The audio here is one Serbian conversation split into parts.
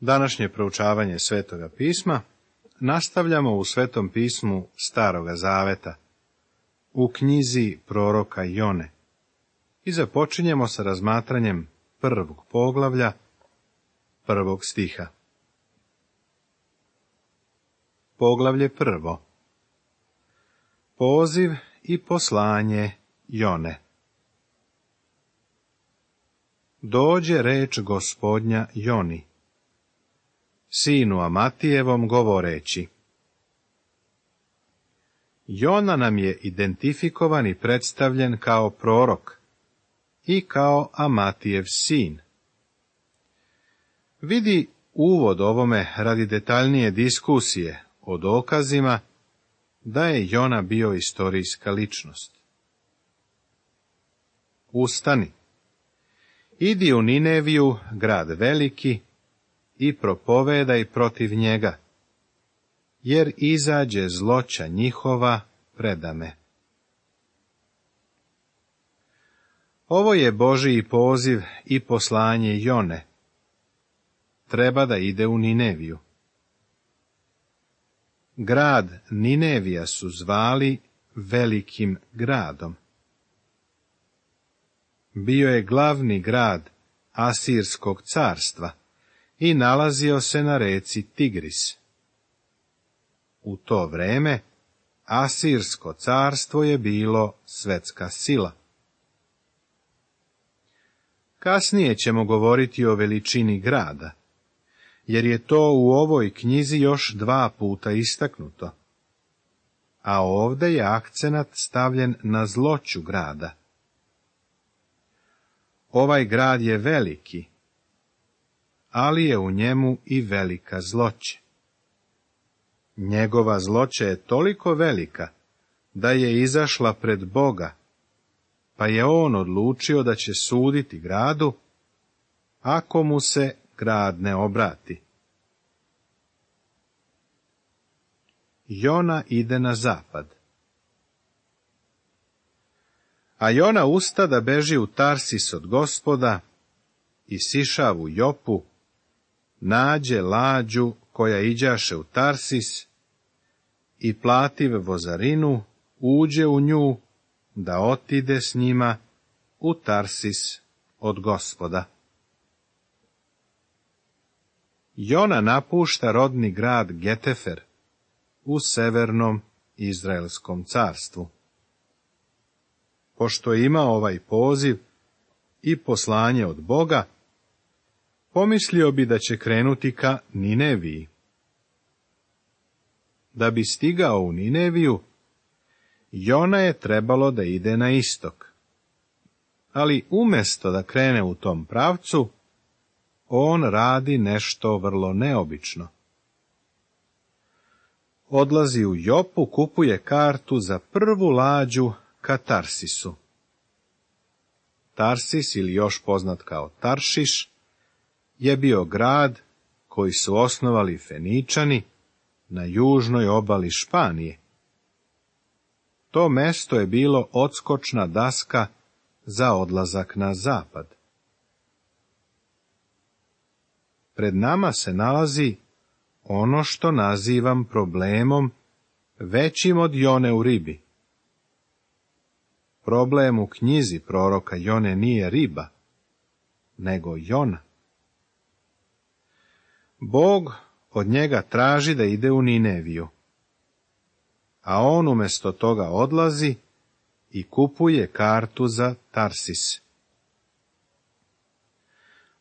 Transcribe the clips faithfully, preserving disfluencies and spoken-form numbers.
Današnje proučavanje Svetoga pisma nastavljamo u Svetom pismu Staroga zaveta, u knjizi proroka Jone, i započinjemo sa razmatranjem prvog poglavlja, prvog stiha. Poglavlje prvo. Poziv i poslanje Jone. Dođe reč Gospodnja Joni, sinu Amatijevom, govoreći. Jona nam je identifikovan i predstavljen kao prorok i kao Amatijev sin. Vidi uvod ovome radi detaljnije diskusije o dokazima da je Jona bio istorijska ličnost. Ustani, idi u Nineviju, grad veliki, i propovedaj protiv njega, jer izađe zloća njihova predame. Ovo je Božiji poziv i poslanje Jone. Treba da ide u Nineviju. Grad Ninevija su zvali velikim gradom. Bio je glavni grad Asirskog carstva i nalazio se na reci Tigris. U to vreme Asirsko carstvo je bilo svetska sila. Kasnije ćemo govoriti o veličini grada, jer je to u ovoj knjizi još dva puta istaknuto, a ovdje je akcenat stavljen na zloću grada. Ovaj grad je veliki, ali je u njemu i velika zloća. Njegova zloća je toliko velika da je izašla pred Boga, pa je on odlučio da će suditi gradu ako mu se grad ne obrati. Jona ide na zapad. A Jona usta da beži u Tarsis od Gospoda i sišav u Jopu, nađe lađu koja iđaše u Tarsis i plativ vozarinu, uđe u nju da otide s njima u Tarsis od Gospoda. Jona napušta rodni grad Getefer u severnom Izraelskom carstvu. Pošto je imao ovaj poziv i poslanje od Boga, pomislio bi da će krenuti ka Nineviji. Da bi stigao u Nineviju, Jona je trebalo da ide na istok. Ali umjesto da krene u tom pravcu, on radi nešto vrlo neobično. Odlazi u Jopu, kupuje kartu za prvu lađu ka Tarsisu. Tarsis, ili još poznat kao Taršiš, je bio grad koji su osnovali Feničani na južnoj obali Španije. To mesto je bilo odskočna daska za odlazak na zapad. Pred nama se nalazi ono što nazivam problemom većim od Jone u ribi. Problem u knjizi proroka Jone nije riba, nego Jona. Bog od njega traži da ide u Nineviju, a on umjesto toga odlazi i kupuje kartu za Tarsis.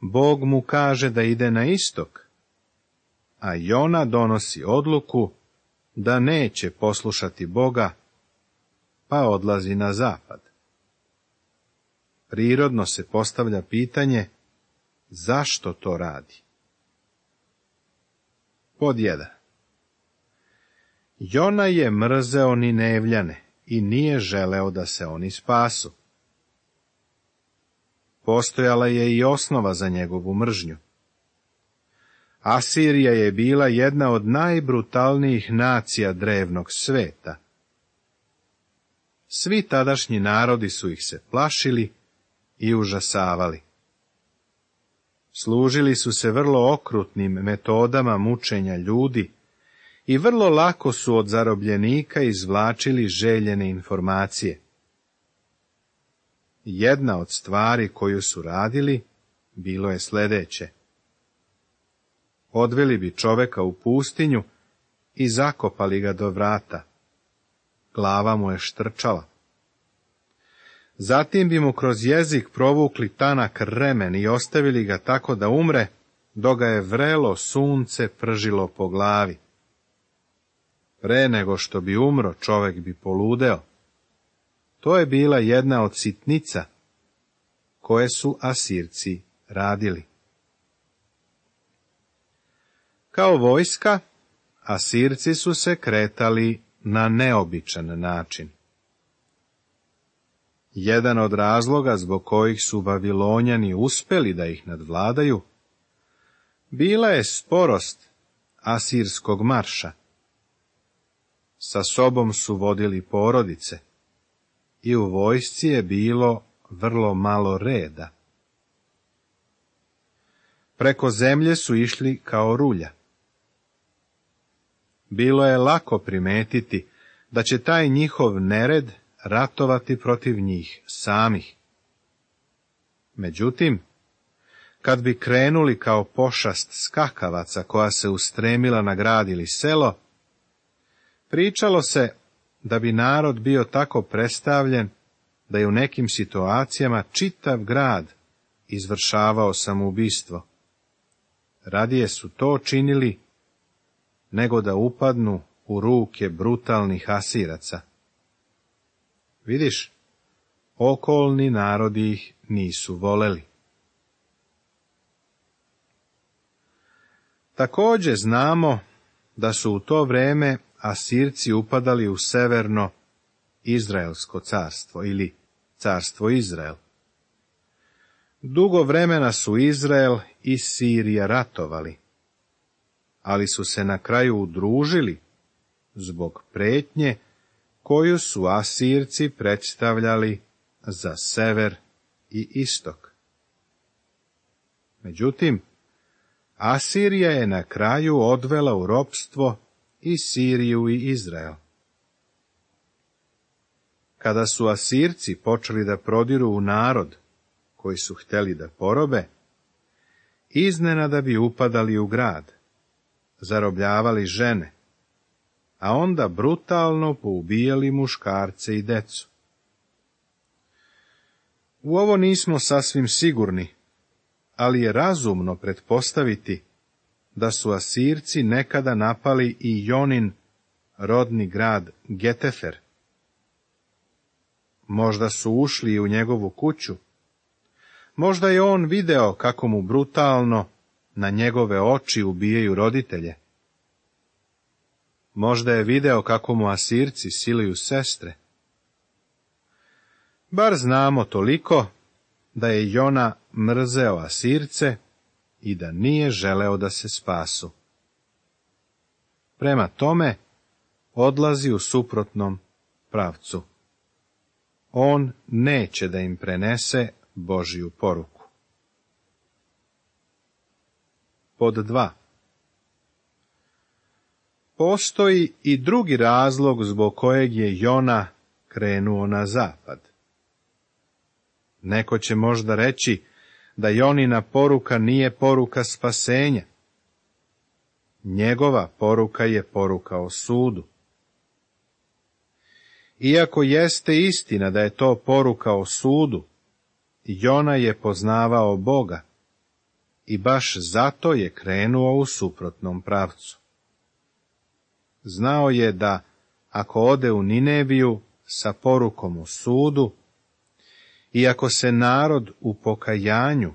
Bog mu kaže da ide na istok, a Jona donosi odluku da neće poslušati Boga, pa odlazi na zapad. Prirodno se postavlja pitanje, zašto to radi? Pod jedan. Jona je mrzeo Ninevljane i nije želeo da se oni spasu. Postojala je i osnova za njegovu mržnju. Asirija je bila jedna od najbrutalnijih nacija drevnog sveta. Svi tadašnji narodi su ih se plašili i užasavali. Služili su se vrlo okrutnim metodama mučenja ljudi i vrlo lako su od zarobljenika izvlačili željene informacije. Jedna od stvari koju su radili bilo je sljedeće. Odveli bi čoveka u pustinju i zakopali ga do vrata. Glava mu je štrčala. Zatim bi mu kroz jezik provukli tanak remen i ostavili ga tako da umre, dok ga je vrelo sunce pržilo po glavi. Pre nego što bi umro, čovek bi poludeo. To je bila jedna od sitnica koje su Asirci radili. Kao vojska, Asirci su se kretali na neobičan način. Jedan od razloga zbog kojih su Vavilonjani uspeli da ih nadvladaju, bila je sporost asirskog marša. Sa sobom su vodili porodice i u vojsci je bilo vrlo malo reda. Preko zemlje su išli kao rulja. Bilo je lako primetiti da će taj njihov nered ratovati protiv njih samih. Međutim, kad bi krenuli kao pošast skakavaca koja se ustremila na grad ili selo, pričalo se da bi narod bio tako predstavljen da je u nekim situacijama čitav grad izvršavao samoubistvo. Radije su to činili nego da upadnu u ruke brutalnih Asiraca. Vidiš, okolni narodi ih nisu voleli. Također znamo da su u to vrijeme Asirci upadali u severno Izraelsko carstvo ili carstvo Izrael. Dugo vremena su Izrael i Sirija ratovali, ali su se na kraju udružili zbog pretnje koju su Asirci predstavljali za sever i istok. Međutim, Asirija je na kraju odvela u ropstvo i Siriju i Izrael. Kada su Asirci počeli da prodiru u narod koji su htjeli da porobe, iznenada bi upadali u grad, zarobljavali žene, a onda brutalno poubijali muškarce i decu. U ovo nismo sasvim sigurni, ali je razumno pretpostaviti da su Asirci nekada napali i Jonin rodni grad Getefer. Možda su ušli u njegovu kuću, možda je on video kako mu brutalno na njegove oči ubijaju roditelje. Možda je video kako mu Asirci siluju sestre. Bar znamo toliko da je Jona mrzeo Asirce i da nije želeo da se spasu. Prema tome, odlazi u suprotnom pravcu. On neće da im prenese Božju poruku. Pod dva. Postoji i drugi razlog zbog kojeg je Jona krenuo na zapad. Neko će možda reći da Jonina poruka nije poruka spasenja. Njegova poruka je poruka o sudu. Iako jeste istina da je to poruka o sudu, Jona je poznavao Boga i baš zato je krenuo u suprotnom pravcu. Znao je da ako ode u Nineviju sa porukom o sudu, i ako se narod u pokajanju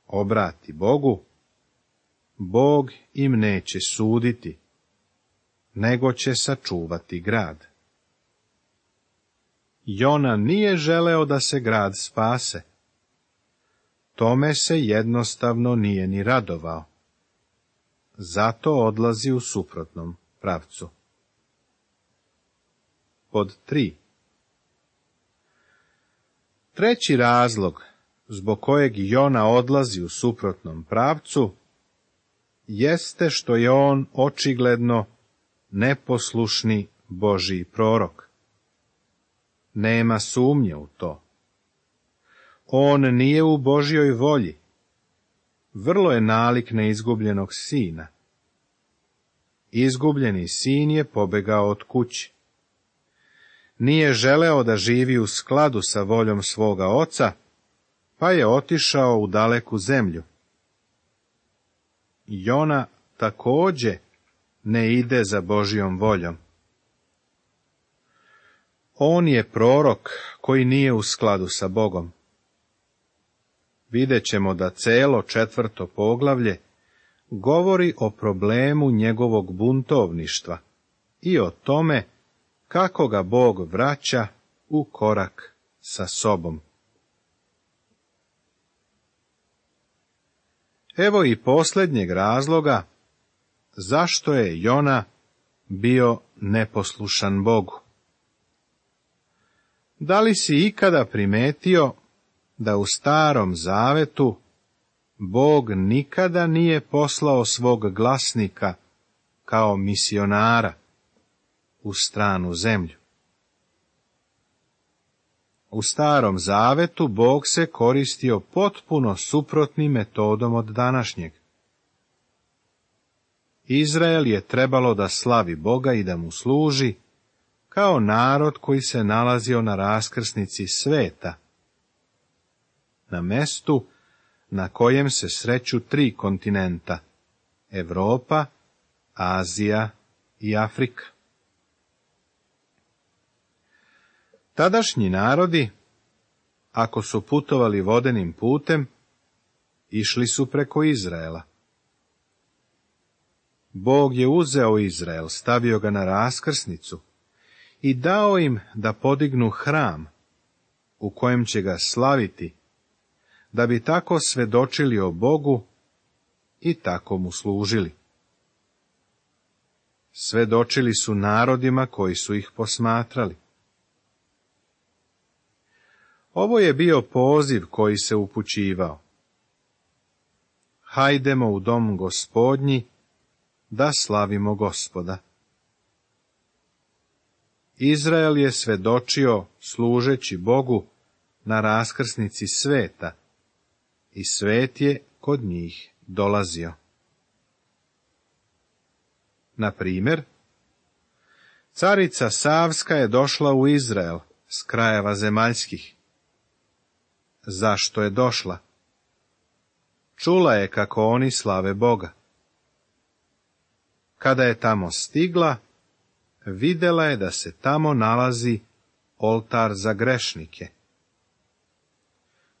obrati Bogu, Bog im neće suditi, nego će sačuvati grad. Jona nije želeo da se grad spase. Tome se jednostavno nije ni radovao. Zato odlazi u suprotnom pravcu. Pod tri. Treći razlog zbog kojeg Jona odlazi u suprotnom pravcu, jeste što je on očigledno neposlušni Božji prorok. Nema sumnje u to. On nije u Božjoj volji. Vrlo je nalik na izgubljenog sina. Izgubljeni sin je pobegao od kuće. Nije želeo da živi u skladu sa voljom svoga oca, pa je otišao u daleku zemlju. Jona također ne ide za Božjom voljom. On je prorok koji nije u skladu sa Bogom. Vidjet ćemo da celo četvrto poglavlje govori o problemu njegovog buntovništva i o tome kako ga Bog vraća u korak sa sobom. Evo i posljednjeg razloga zašto je Jona bio neposlušan Bogu. Da li si ikada primetio da u Starom Zavetu Bog nikada nije poslao svog glasnika kao misionara u stranu zemlju? U Starom Zavetu Bog se koristio potpuno suprotnim metodom od današnjeg. Izrael je trebalo da slavi Boga i da mu služi kao narod koji se nalazio na raskrsnici sveta, na mestu na kojem se sreću tri kontinenta, Evropa, Azija i Afrika. Tadašnji narodi, ako su putovali vodenim putem, išli su preko Izraela. Bog je uzeo Izrael, stavio ga na raskrsnicu i dao im da podignu hram u kojem će ga slaviti, da bi tako svedočili o Bogu i tako mu služili. Svedočili su narodima koji su ih posmatrali. Ovo je bio poziv koji se upućivao. Hajdemo u dom Gospodnji da slavimo Gospoda. Izrael je svedočio služeći Bogu na raskrsnici sveta i svet je kod njih dolazio. Na primjer, carica Savska je došla u Izrael s krajeva zemaljskih. Zašto je došla? Čula je kako oni slave Boga. Kada je tamo stigla, vidjela je da se tamo nalazi oltar za grešnike.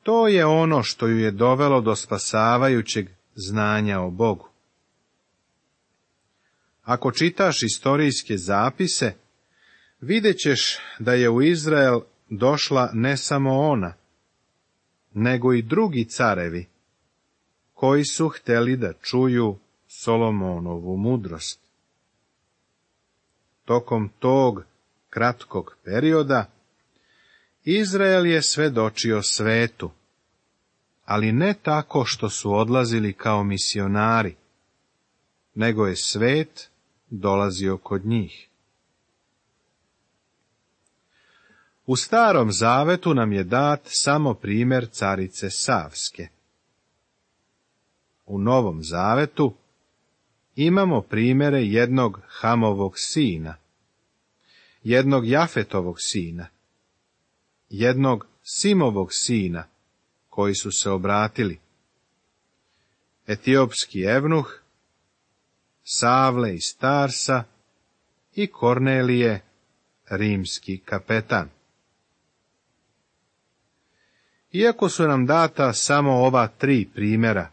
To je ono što ju je dovelo do spasavajućeg znanja o Bogu. Ako čitaš istorijske zapise, vidjet ćeš da je u Izrael došla ne samo ona, nego i drugi carevi, koji su htjeli da čuju Solomonovu mudrost. Tokom tog kratkog perioda, Izrael je svedočio svetu, ali ne tako što su odlazili kao misionari, nego je svet dolazio kod njih. U Starom Zavetu nam je dat samo primjer carice Savske. U Novom Zavetu imamo primjere jednog Hamovog sina, jednog Jafetovog sina, jednog Simovog sina, koji su se obratili, etiopski evnuh, Savle iz Tarsa i Kornelije, rimski kapetan. Iako su nam data samo ova tri primjera,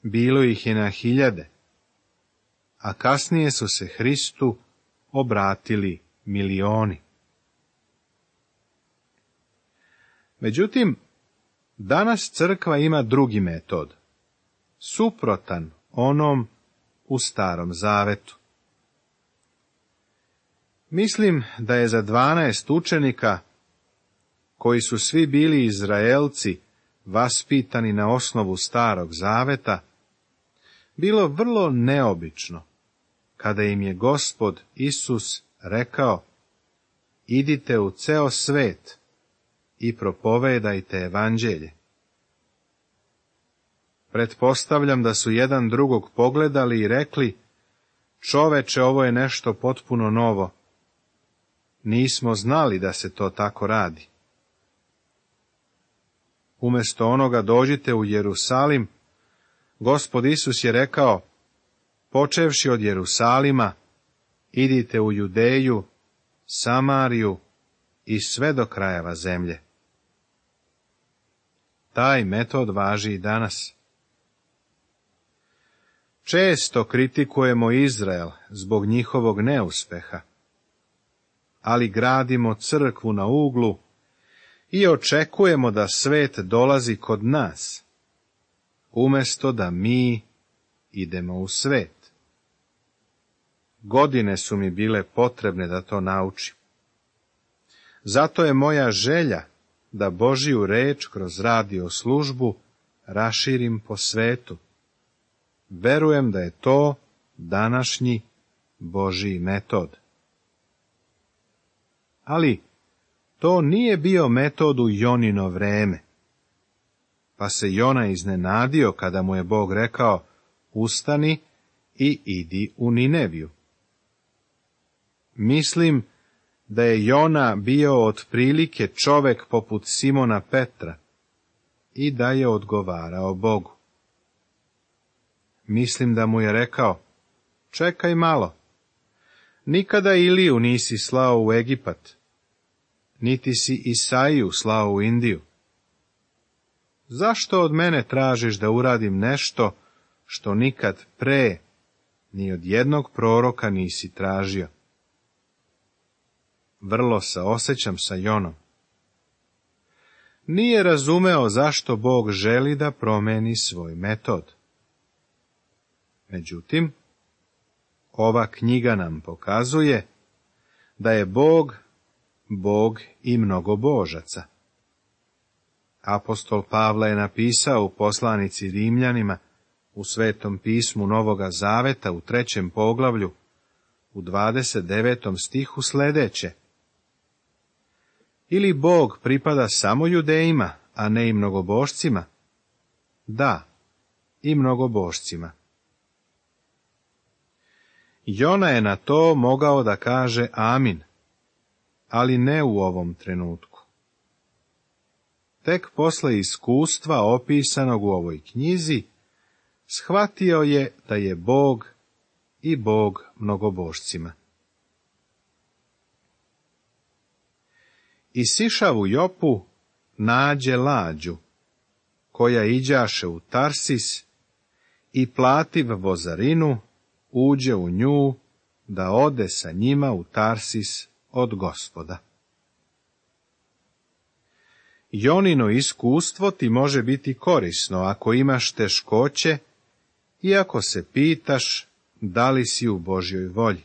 bilo ih je na hiljade, a kasnije su se Hristu obratili milioni. Međutim, danas crkva ima drugi metod, suprotan onom u Starom Zavetu. Mislim da je za dvanaest učenika, koji su svi bili Izraelci, vaspitani na osnovu Starog Zaveta, bilo vrlo neobično kada im je Gospod Isus rekao: idite u ceo svet i propovedajte evanđelje. Pretpostavljam da su jedan drugog pogledali i rekli: čoveče, ovo je nešto potpuno novo. Nismo znali da se to tako radi. Umjesto onoga dođite u Jerusalim, Gospod Isus je rekao: počevši od Jerusalima, idite u Judeju, Samariju i sve do krajeva zemlje. Taj metod važi i danas. Često kritikujemo Izrael zbog njihovog neuspeha, ali gradimo crkvu na uglu i očekujemo da svet dolazi kod nas, umjesto da mi idemo u svet. Godine su mi bile potrebne da to naučim. Zato je moja želja da Božiju reč kroz radio službu raširim po svetu. Verujem da je to današnji Božji metod. Ali to nije bio metod u Jonino vreme, pa se Jona iznenadio kada mu je Bog rekao: ustani i idi u Nineviju. Mislim da je Jona bio otprilike čovek poput Simona Petra i da je odgovarao Bogu. Mislim da mu je rekao: čekaj malo, nikada Iliju nisi slao u Egipat, niti si Isaiju slao u Indiju. Zašto od mene tražiš da uradim nešto što nikad pre ni od jednog proroka nisi tražio? Vrlo se osjećam sa Jonom. Nije razumeo zašto Bog želi da promeni svoj metod. Međutim, ova knjiga nam pokazuje da je Bog, Bog i mnogobožaca. Apostol Pavle je napisao u poslanici Rimljanima u Svetom pismu Novoga Zaveta u trećem poglavlju u dvadeset devetom stihu sljedeće: ili Bog pripada samo Judejima, a ne i mnogobožcima? Da, i mnogobožcima. Jona je na to mogao da kaže amin, ali ne u ovom trenutku. Tek posle iskustva opisanog u ovoj knjizi, shvatio je da je Bog i Bog mnogobožcima. I sišav u Jopu nađe lađu, koja iđaše u Tarsis, i plativ vozarinu, uđe u nju, da ode sa njima u Tarsis od Gospoda. Jonino iskustvo ti može biti korisno ako imaš teškoće i ako se pitaš da li si u Božjoj volji.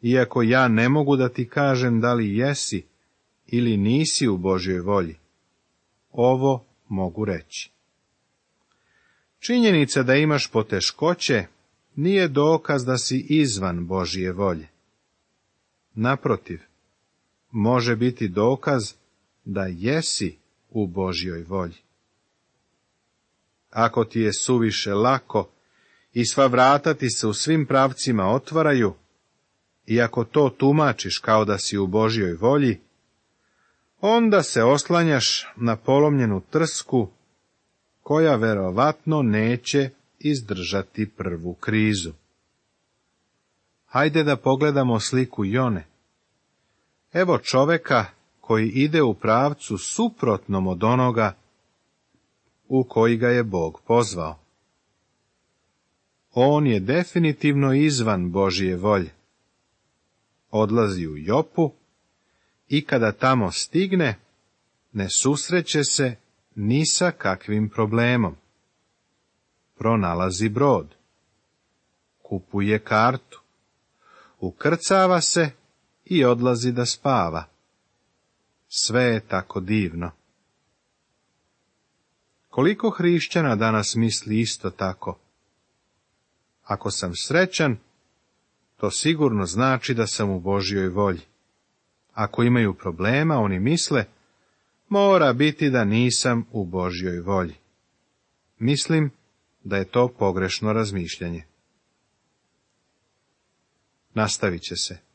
Iako ja ne mogu da ti kažem da li jesi ili nisi u Božjoj volji, ovo mogu reći. Činjenica da imaš poteškoće nije dokaz da si izvan Božje volje. Naprotiv, može biti dokaz da jesi u Božjoj volji. Ako ti je suviše lako i sva vrata ti se u svim pravcima otvaraju, i ako to tumačiš kao da si u Božjoj volji, onda se oslanjaš na polomljenu trsku, koja verovatno neće izdržati prvu krizu. Hajde da pogledamo sliku Jone. Evo čoveka koji ide u pravcu suprotnom od onoga u koji ga je Bog pozvao. On je definitivno izvan Božje volje. Odlazi u Jopu i kada tamo stigne, ne susreće se ni sa kakvim problemom. Pronalazi brod, kupuje kartu, ukrcava se i odlazi da spava. Sve je tako divno. Koliko hrišćana danas misli isto tako? Ako sam srećan, to sigurno znači da sam u Božjoj volji. Ako imaju problema, oni misle, mora biti da nisam u Božjoj volji. Mislim da je to pogrešno razmišljanje. Nastavit će se.